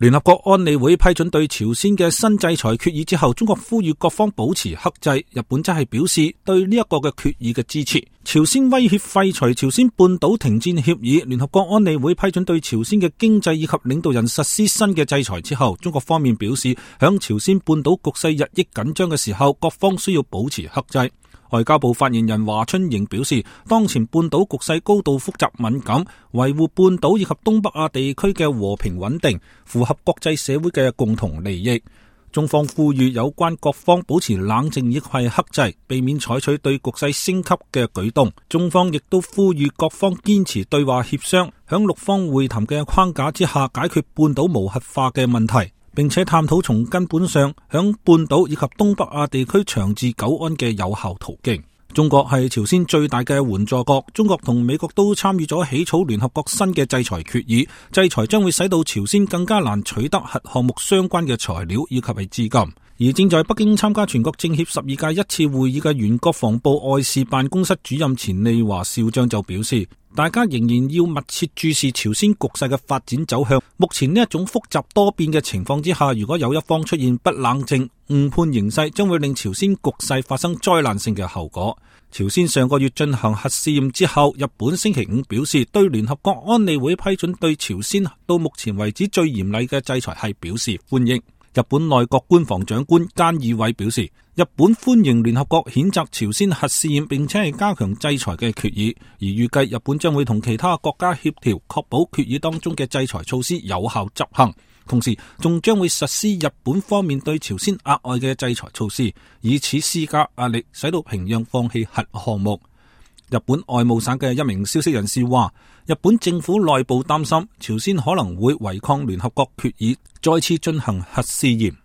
聯合國安理會批准對朝鮮嘅新制裁決議之後，中國呼籲各方保持克制，日本則係表示對呢一個嘅決議嘅支持。朝鮮威脅廢除朝鮮半島停戰協議，聯合國安理會批准對朝鮮嘅經濟以及領導人實施新嘅制裁之後，中國方面表示響朝鮮半島局勢日益緊張嘅時候，各方需要保持克制。外交部發言人華春瑩表示，當前半島局勢高度複雜敏感，維護半島以及東北亞地區嘅和平穩定，符合國際社會嘅共同利益。中方呼籲有關各方保持冷靜以及克制，避免採取對局勢升級嘅舉動。中方亦都呼籲各方堅持對話協商，響六方會談嘅框架之下解決半島無核化嘅問題，並且探討從根本上響半島以及東北亞地區長治久安嘅有效途徑。中國係朝鮮最大嘅援助國，中國同美國都參與咗起草聯合國新嘅制裁決議，制裁將會使到朝鮮更加難取得核項目相關嘅材料以及係資金。而正在北京參加全國政協12屆一次會議嘅原國防部外事辦公室主任錢利華少將就表示，大家仍然要密切注視朝鮮局勢嘅發展走向。目前呢一種複雜多變嘅情況之下，如果有一方出現不冷靜、誤判形勢，將會令朝鮮局勢發生災難性嘅後果。朝鮮上個月進行核試驗之後，日本星期五表示對聯合國安理會批准對朝鮮到目前為止最嚴厲嘅制裁係表示歡迎。日本內閣官房長官菅義偉表示，日本歡迎聯合國譴責朝鮮核試驗並且係加強制裁嘅決議，而預計日本將會同其他國家協調，確保決議當中嘅制裁措施有效執行，同時仲將會實施日本方面對朝鮮額外嘅制裁措施，以此施加壓力，使到平壤放棄核項目。日本外務省嘅一名消息人士話，日本政府內部擔心朝鮮可能會違抗聯合國決議，再次進行核試驗。